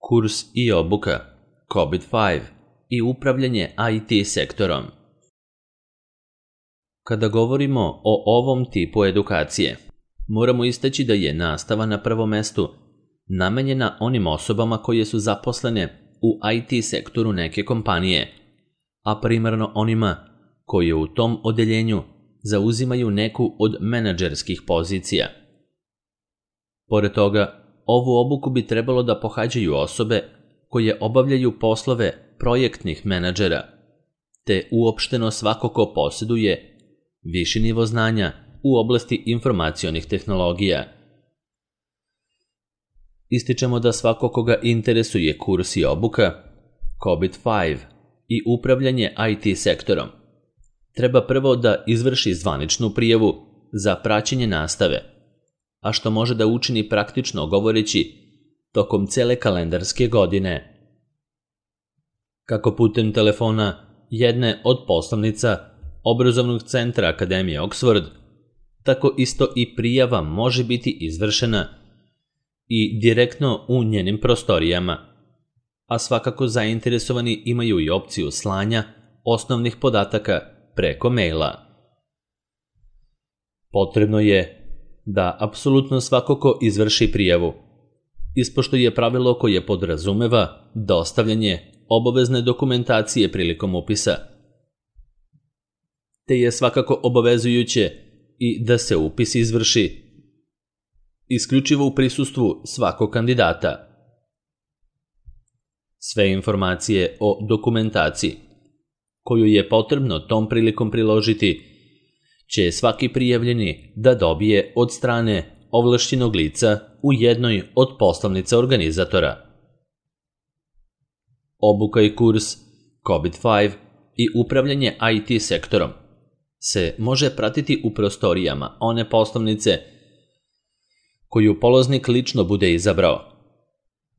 kurs i obuka, COVID-5 i upravljanje IT sektorom. Kada govorimo o ovom tipu edukacije, moramo istaći da je nastava na prvom mestu namenjena onim osobama koje su zaposlene u IT sektoru neke kompanije, a primarno onima koji u tom odeljenju zauzimaju neku od menadžerskih pozicija. Pored toga, ovu obuku bi trebalo da pohađaju osobe koje obavljaju poslove projektnih menadžera, te uopšteno svako ko posjeduje viši nivo znanja u oblasti informacionih tehnologija. Ističemo da svako koga interesuje kurs i obuka, COVID-5 i upravljanje IT sektorom, treba prvo da izvrši zvaničnu prijavu za praćenje nastave, a što može da učini praktično govoreći tokom cele kalendarske godine. Kako putem telefona jedne od poslovnica obrazovnog centra Akademije Oxford, tako isto i prijava može biti izvršena i direktno u njenim prostorijama, a svakako zainteresovani imaju i opciju slanja osnovnih podataka preko maila. Potrebno je da apsolutno svako ko izvrši prijavu ispoštuje pravilo koje podrazumeva dostavljanje obavezne dokumentacije prilikom upisa, te je svakako obavezujuće i da se upis izvrši isključivo u prisustvu svakog kandidata. Sve informacije o dokumentaciji koju je potrebno tom prilikom priložiti će svaki prijavljeni da dobije od strane ovlašćenog lica u jednoj od poslovnica organizatora. Obuka i kurs COVID-5 i upravljanje IT sektorom se može pratiti u prostorijama one poslovnice koju polaznik lično bude izabrao,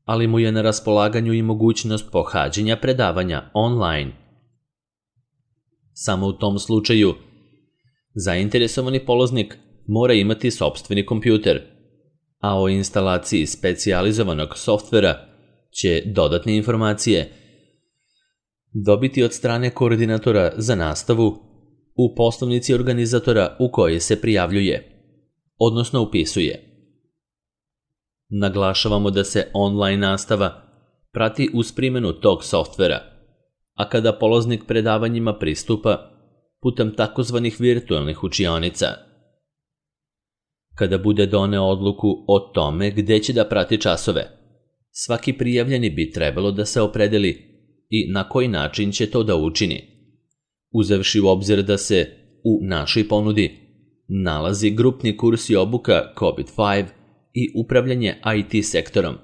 ali mu je na raspolaganju i mogućnost pohađanja predavanja online. Samo u tom slučaju zainteresovani polaznik mora imati sopstveni kompjuter, a o instalaciji specijalizovanog softvera će dodatne informacije dobiti od strane koordinatora za nastavu u poslovnici organizatora u kojoj se prijavljuje, odnosno upisuje. Naglašavamo da se online nastava prati uz primjenu tog softvera, a kada polaznik predavanjima pristupa putem takozvanih virtualnih učionica. Kada bude doneo odluku o tome gde će da prati časove, svaki prijavljeni bi trebalo da se opredeli i na koji način će to da učini, uzevši u obzir da se u našoj ponudi nalazi grupni kurs i obuka COVID-5 i upravljanje IT sektorom,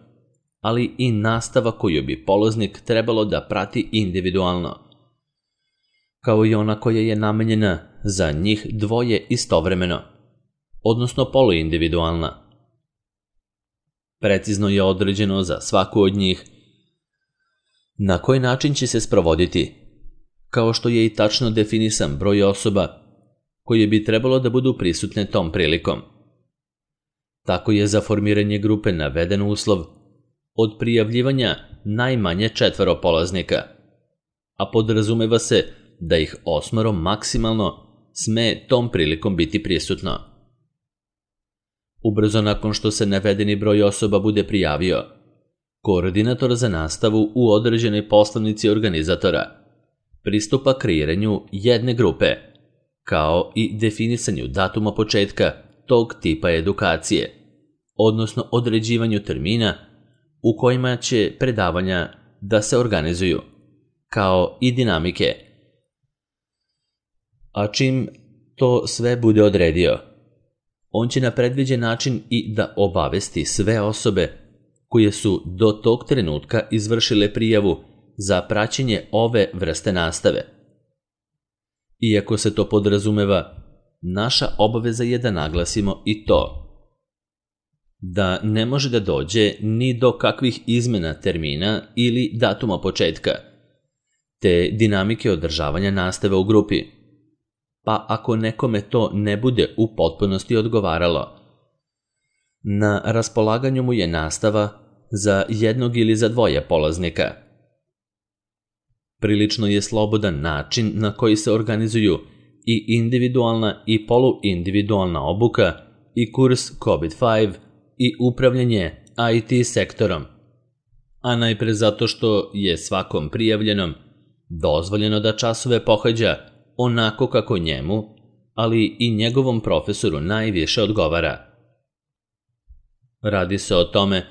ali i nastava koju bi polaznik trebalo da prati individualno, kao i ona koja je namenjena za njih dvoje istovremeno, odnosno poluindividualna. Precizno je određeno za svaku od njih na koji način će se sprovoditi, kao što je i tačno definisan broj osoba koje bi trebalo da budu prisutne tom prilikom. Tako je za formiranje grupe naveden uslov od prijavljivanja najmanje 4 polaznika, a podrazumeva se da ih 8 maksimalno sme tom prilikom biti prisutno. Ubrzo nakon što se navedeni broj osoba bude prijavio, koordinator za nastavu u određenoj poslovnici organizatora pristupa kreiranju jedne grupe, kao i definisanju datuma početka tog tipa edukacije, odnosno određivanju termina u kojima će predavanja da se organizuju, kao i dinamike. A čim to sve bude odredio, on će na predviđen način i da obavesti sve osobe koje su do tog trenutka izvršile prijavu za praćenje ove vrste nastave. Iako se to podrazumeva, naša obaveza je da naglasimo i to da ne može da dođe ni do kakvih izmena termina ili datuma početka, te dinamike održavanja nastave u grupi, pa ako nekome to ne bude u potpunosti odgovaralo, na raspolaganju mu je nastava za jednog ili za dvoje polaznika. Prilično je slobodan način na koji se organizuju i individualna i poluindividualna obuka i kurs COVID-5 i upravljanje IT sektorom, a najpre zato što je svakom prijavljenom dozvoljeno da časove pohađa onako kako njemu, ali i njegovom profesoru najviše odgovara. Radi se o tome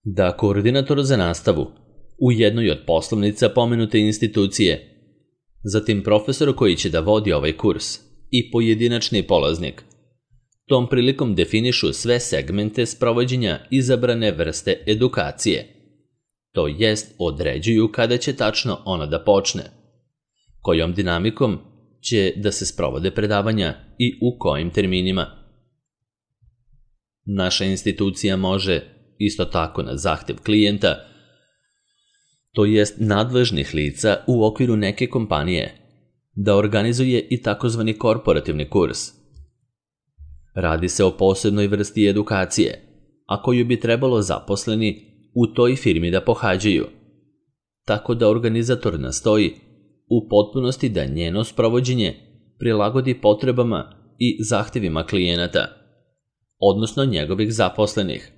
da koordinator za nastavu u jednoj od poslovnica pomenute institucije, zatim profesor koji će da vodi ovaj kurs i pojedinačni polaznik, tom prilikom definišu sve segmente sprovođenja izabrane vrste edukacije, to jest određuju kada će tačno ona da počne, kojom dinamikom će da se sprovode predavanja i u kojim terminima. Naša institucija može, isto tako na zahtev klijenta, to jest nadležnih lica u okviru neke kompanije, da organizuje i takozvani korporativni kurs. Radi se o posebnoj vrsti edukacije, a koju bi trebalo zaposleni u toj firmi da pohađaju, tako da organizator nastoji u potpunosti da njeno sprovođenje prilagodi potrebama i zahtevima klijenata, odnosno njegovih zaposlenih.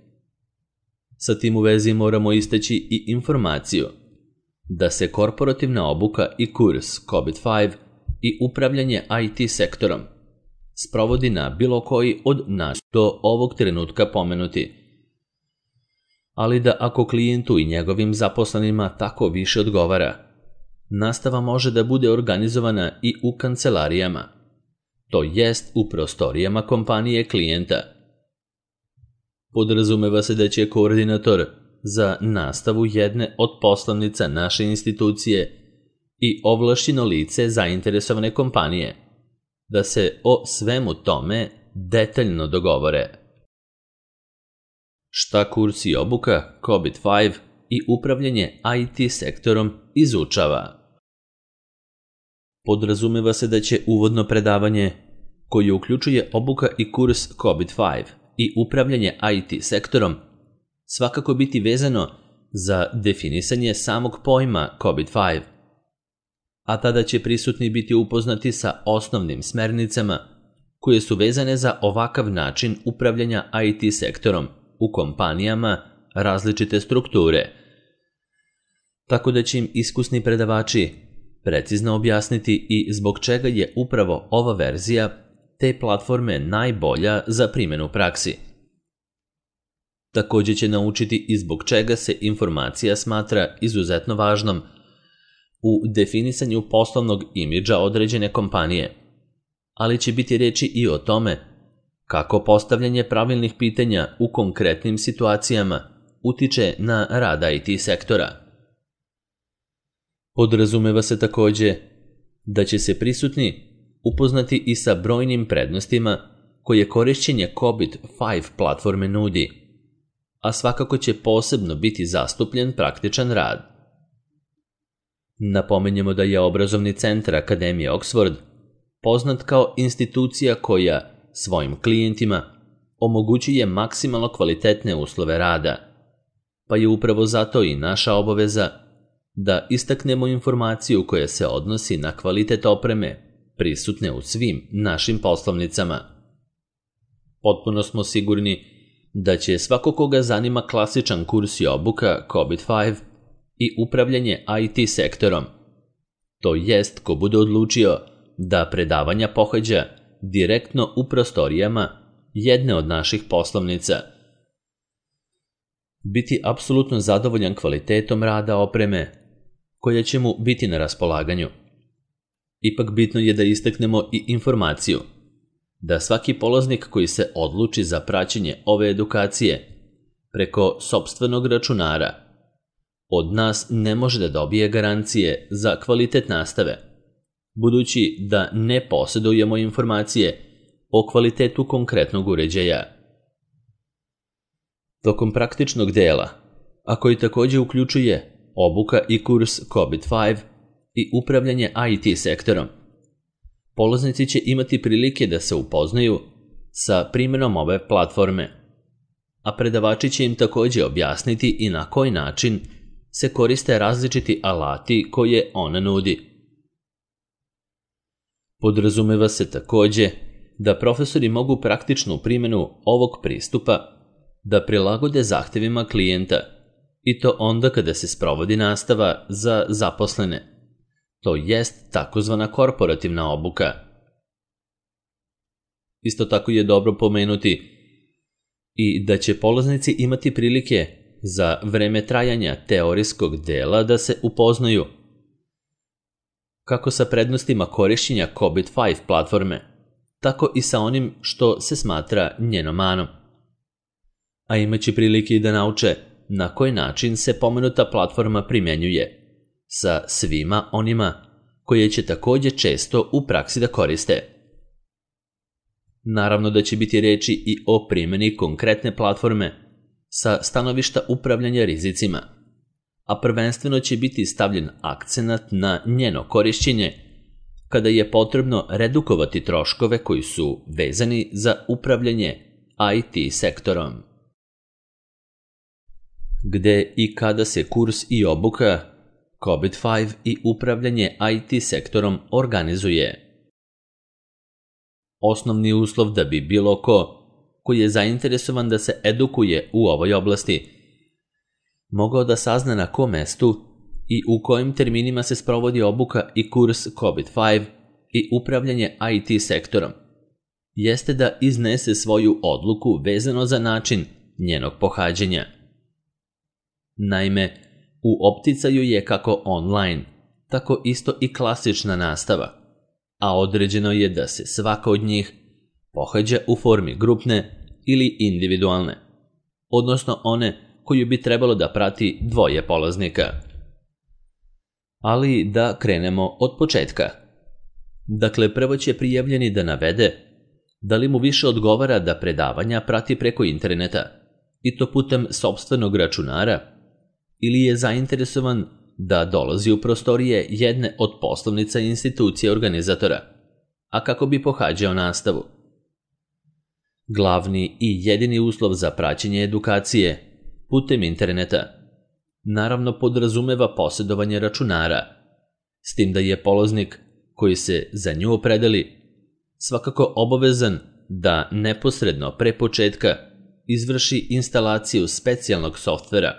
Sa tim u vezi moramo istaći i informaciju da se korporativna obuka i kurs COVID-5 i upravljanje IT sektorom sprovodi na bilo koji od nas do ovog trenutka pomenuti, ali da ako klijentu i njegovim zaposlenima tako više odgovara, nastava može da bude organizovana i u kancelarijama, to jest u prostorijama kompanije klijenta. Podrazumeva se da će koordinator za nastavu jedne od poslovnica naše institucije i ovlašćeno lice zainteresovane kompanije da se o svemu tome detaljno dogovore. Šta kurs i obuka COVID-5 i upravljanje IT sektorom izučava? Podrazumeva se da će uvodno predavanje, koje uključuje obuka i kurs COVID-5 i upravljanje IT sektorom, svakako biti vezano za definisanje samog pojma COVID-5, a tada će prisutni biti upoznati sa osnovnim smernicama koje su vezane za ovakav način upravljanja IT sektorom u kompanijama različite strukture, tako da će im iskusni predavači precizno objasniti i zbog čega je upravo ova verzija te platforme najbolja za primjenu u praksi. Također će naučiti i zbog čega se informacija smatra izuzetno važnom u definisanju poslovnog imidža određene kompanije, ali će biti reči i o tome kako postavljanje pravilnih pitanja u konkretnim situacijama utiče na rad IT sektora. Podrazumeva se također da će se prisutni upoznati i sa brojnim prednostima koje korišćenje COVID-5 platforme nudi, a svakako će posebno biti zastupljen praktičan rad. Napomenjemo da je obrazovni centar Akademije Oxford poznat kao institucija koja svojim klijentima omogućuje maksimalno kvalitetne uslove rada, pa je upravo zato i naša obaveza da istaknemo informaciju koja se odnosi na kvalitet opreme prisutne u svim našim poslovnicama. Potpuno smo sigurni da će svako koga zanima klasičan kurs i obuka COVID-5 i upravljanje IT sektorom, to jest ko bude odlučio da predavanja pohađa direktno u prostorijama jedne od naših poslovnica, biti apsolutno zadovoljan kvalitetom rada opreme koja će mu biti na raspolaganju. Ipak bitno je da istaknemo i informaciju da svaki polaznik koji se odluči za praćenje ove edukacije preko sopstvenog računara od nas ne može da dobije garancije za kvalitet nastave, budući da ne posjedujemo informacije o kvalitetu konkretnog uređaja. Tokom praktičnog dela, a koji također uključuje obuka i kurs COVID-5 i upravljanje IT sektorom, polaznici će imati prilike da se upoznaju sa primjenom ove platforme. a predavači će im također objasniti i na koji način se koriste različiti alati koje ona nudi. Podrazumeva se također da profesori mogu praktičnu primjenu ovog pristupa da prilagode zahtjevima klijenta, i to onda kada se sprovodi nastava za zaposlene, to jest takozvana korporativna obuka. Isto tako je dobro pomenuti i da će polaznici imati prilike za vreme trajanja teorijskog dela da se upoznaju kako sa prednostima korištenja Cobit5 platforme, tako i sa onim što se smatra njenom manom. A imaće prilike i da nauče na koji način se pomenuta platforma primjenjuje sa svima onima koje će također često u praksi da koriste. Naravno da će biti reči i o primjeni konkretne platforme sa stanovišta upravljanja rizicima, a prvenstveno će biti stavljen akcenat na njeno korišćenje kada je potrebno redukovati troškove koji su vezani za upravljanje IT sektorom. Gde i kada se kurs i obuka Cobit5 i upravljanje IT sektorom organizuje? Osnovni uslov da bi bilo ko je zainteresovan da se edukuje u ovoj oblasti mogao da sazna na kom mestu i u kojim terminima se sprovodi obuka i kurs Cobit5 i upravljanje IT sektorom, jeste da iznese svoju odluku vezano za način njenog pohađanja. Naime, u opticaju je kako online, tako isto i klasična nastava, a određeno je da se svaka od njih pohađa u formi grupne ili individualne, odnosno one koju bi trebalo da prati dvoje polaznika. Ali da krenemo od početka. Dakle, prvo će prijavljeni da navede da li mu više odgovara da predavanja prati preko interneta, i to putem sopstvenog računara, ili je zainteresovan da dolazi u prostorije jedne od poslovnica institucije organizatora, a kako bi pohađao nastavu. Glavni i jedini uslov za praćenje edukacije putem interneta naravno podrazumeva posjedovanje računara, s tim da je polaznik koji se za nju opredeli svakako obavezan da neposredno pre početka izvrši instalaciju specijalnog softvera,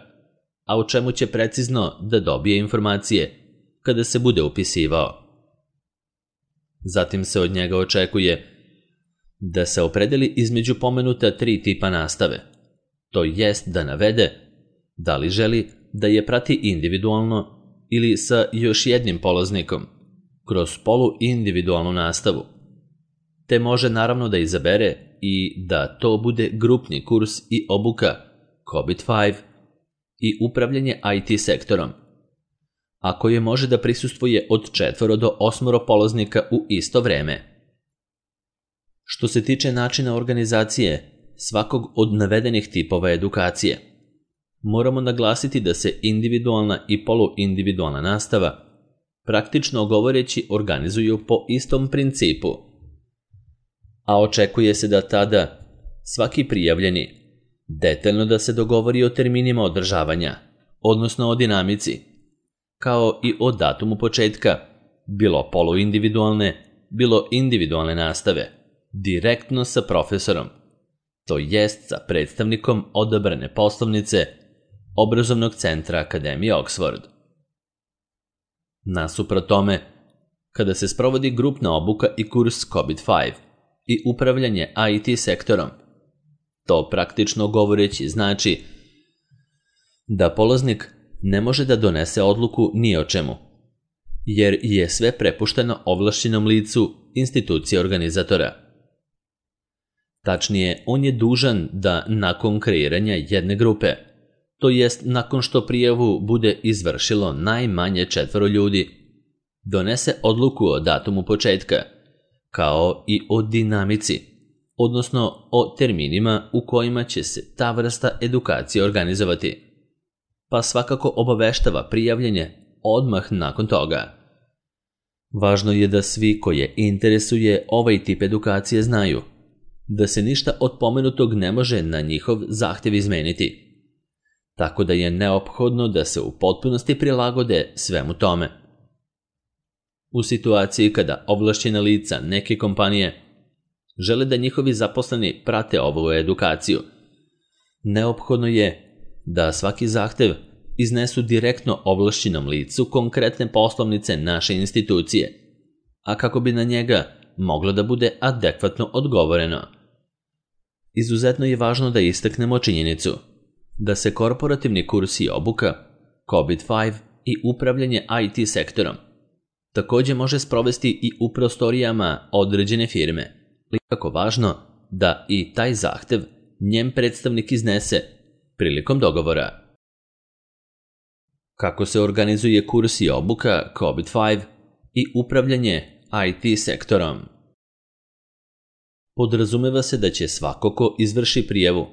a o čemu će precizno da dobije informacije kada se bude upisivao. Zatim se od njega očekuje da se opredeli između pomenuta 3 tipa nastave, to jest da navede da li želi da je prati individualno ili sa još jednim polaznikom kroz poluindividualnu nastavu, te može naravno da izabere i da to bude grupni kurs i obuka Cobit5 i upravljanje IT sektorom, a koje može da prisustvuje od 4 do 8 polaznika u isto vreme. Što se tiče načina organizacije svakog od navedenih tipova edukacije, moramo naglasiti da se individualna i poluindividualna nastava praktično govoreći organizuju po istom principu, a očekuje se da tada svaki prijavljeni detaljno da se dogovori o terminima održavanja, odnosno o dinamici, kao i o datumu početka, bilo poluindividualne, bilo individualne nastave, direktno sa profesorom, to jest sa predstavnikom odabrane poslovnice Obrazovnog centra Akademije Oxford. Nasuprot tome, kada se sprovodi grupna obuka i kurs Cobit5 i upravljanje IT sektorom, to praktično govoreći znači da polaznik ne može da donese odluku ni o čemu, jer je sve prepušteno ovlašćenom licu institucije organizatora. Tačnije, on je dužan da nakon kreiranja jedne grupe, to jest nakon što prijavu bude izvršilo najmanje 4 ljudi, donese odluku o datumu početka, kao i o dinamici, odnosno o terminima u kojima će se ta vrsta edukacije organizovati, pa svakako obaveštava prijavljenje odmah nakon toga. Važno je da svi koje interesuje ovaj tip edukacije znaju da se ništa od pomenutog ne može na njihov zahtjev izmeniti, tako da je neophodno da se u potpunosti prilagode svemu tome. U situaciji kada ovlašćena lica neke kompanije žele da njihovi zaposleni prate ovu edukaciju, neophodno je da svaki zahtev iznesu direktno ovlašćenom licu konkretne poslovnice naše institucije, a kako bi na njega moglo da bude adekvatno odgovoreno. Izuzetno je važno da istaknemo činjenicu da se korporativni kurs i obuka, COVID-5 i upravljanje IT sektorom također može sprovesti i u prostorijama određene firme, ali je jako važno da i taj zahtev njen predstavnik iznese prilikom dogovora. Kako se organizuje kurs i obuka COVID-5 i upravljanje IT sektorom? Podrazumeva se da će svako ko izvrši prijavu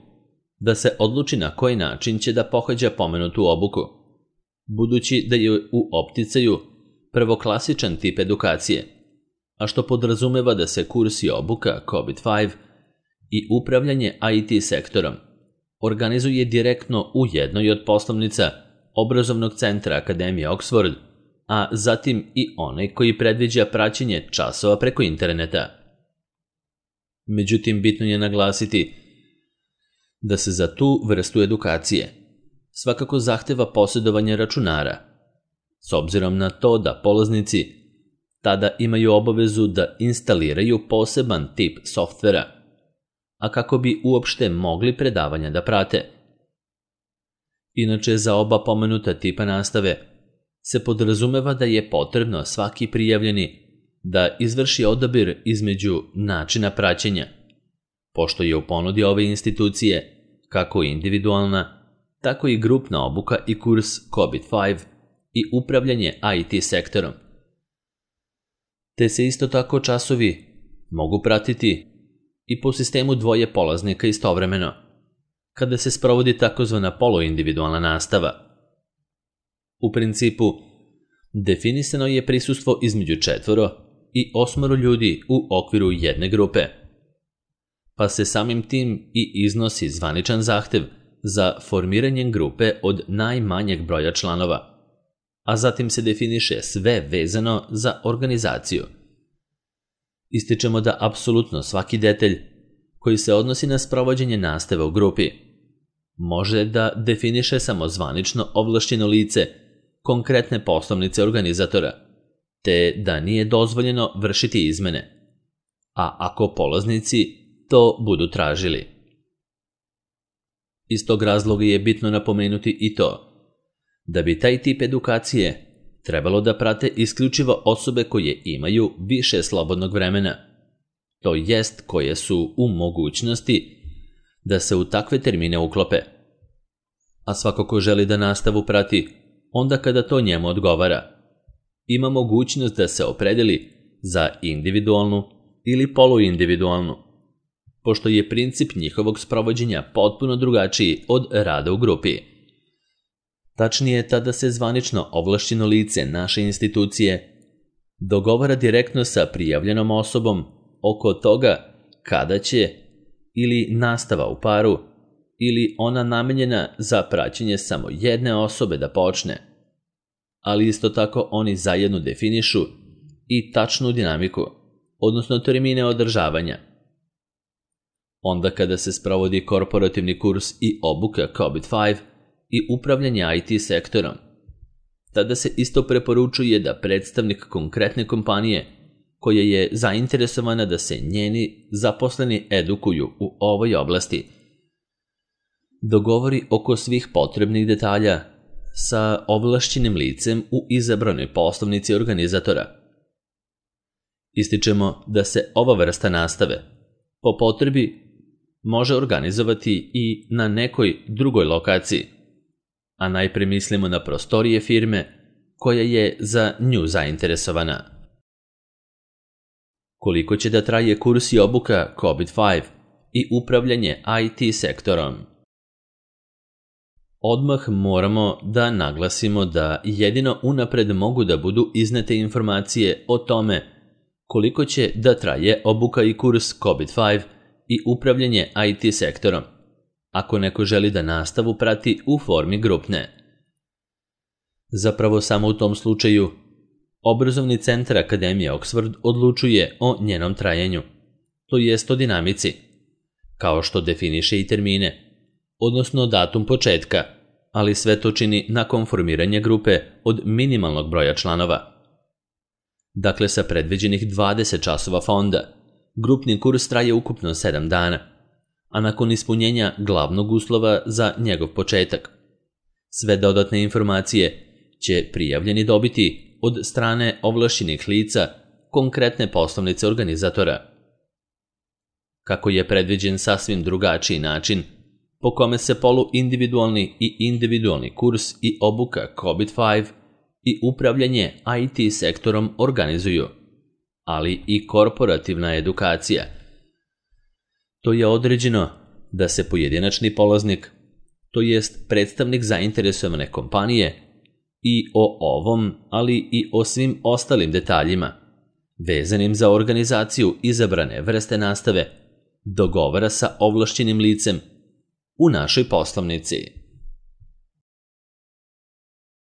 da se odluči na koji način će da pohađa pomenutu obuku, budući da je u opticaju prvoklasičan tip edukacije, a što podrazumeva da se kurs i obuka COVID-5 i upravljanje IT sektorom organizuje direktno u jednoj od poslovnica obrazovnog centra Akademije Oxford, a zatim i onaj koji predviđa praćenje časova preko interneta. Međutim, bitno je naglasiti da se za tu vrstu edukacije svakako zahteva posjedovanje računara, s obzirom na to da polaznici tada imaju obavezu da instaliraju poseban tip softvera, a kako bi uopšte mogli predavanja da prate. Inače, za oba pomenuta tipa nastave se podrazumeva da je potrebno svaki prijavljeni da izvrši odabir između načina praćenja, pošto je u ponudi ove institucije kako individualna, tako i grupna obuka i kurs COVID-5 i upravljanje IT sektorom. Te se isto tako časovi mogu pratiti i po sistemu dvoje polaznika istovremeno, kada se sprovodi takozvana poluindividualna nastava. U principu, definisano je prisustvo između 4 i 8 ljudi u okviru jedne grupe, pa se samim tim i iznosi zvaničan zahtev za formiranjem grupe od najmanjeg broja članova, a zatim se definiše sve vezano za organizaciju. Ističemo da apsolutno svaki detalj koji se odnosi na sprovođenje nastave u grupi može da definiše samo zvanično ovlašćeno lice konkretne poslovnice organizatora, te da nije dozvoljeno vršiti izmene, a ako polaznici to budu tražili. Iz tog razloga je bitno napomenuti i to da bi taj tip edukacije trebalo da prate isključivo osobe koje imaju više slobodnog vremena, to jest koje su u mogućnosti da se u takve termine uklope. A svako ko želi da nastavu prati onda kada to njemu odgovara, ima mogućnost da se opredeli za individualnu ili poluindividualnu, pošto je princip njihovog sprovođenja potpuno drugačiji od rada u grupi. Tačnije, tada se zvanično ovlašćeno lice naše institucije dogovara direktno sa prijavljenom osobom oko toga kada će ili nastava u paru ili ona namenjena za praćenje samo jedne osobe da počne, ali isto tako oni zajedno definišu i tačnu dinamiku, odnosno termine održavanja. Onda kada se sprovodi korporativni kurs i obuka COVID-5 i upravljanje IT sektorom, tada se isto preporučuje da predstavnik konkretne kompanije koja je zainteresovana da se njeni zaposleni edukuju u ovoj oblasti dogovori oko svih potrebnih detalja sa ovlašćenim licem u izabranoj poslovnici organizatora. Ističemo da se ova vrsta nastave po potrebi može organizovati i na nekoj drugoj lokaciji, a najpre mislimo na prostorije firme koja je za nju zainteresovana. Koliko će da traje kurs i obuka COVID-5 i upravljanje IT sektorom? Odmah moramo da naglasimo da jedino unapred mogu da budu iznete informacije o tome koliko će da traje obuka i kurs COVID-5 i upravljanje IT sektorom, ako neko želi da nastavu prati u formi grupne. Zapravo samo u tom slučaju Obrazovni centar Akademije Oxford odlučuje o njenom trajanju, to jest o dinamici, kao što definiše i termine, odnosno datum početka, ali sve to čini nakon formiranja grupe od minimalnog broja članova. Dakle, sa predviđenih 20 časova fonda, grupni kurs traje ukupno 7 dana, a nakon ispunjenja glavnog uslova za njegov početak. Sve dodatne informacije će prijavljeni dobiti od strane ovlašćenih lica konkretne poslovnice organizatora. Kako je predviđen sasvim drugačiji način po kome se poluindividualni i individualni kurs i obuka COVID-5 i upravljanje IT sektorom organizuju, ali i korporativna edukacija. To je određeno da se pojedinačni polaznik, to jest predstavnik zainteresovane kompanije, i o ovom, ali i o svim ostalim detaljima, vezanim za organizaciju izabrane vrste nastave, dogovara sa ovlašćenim licem u našoj poslovnici.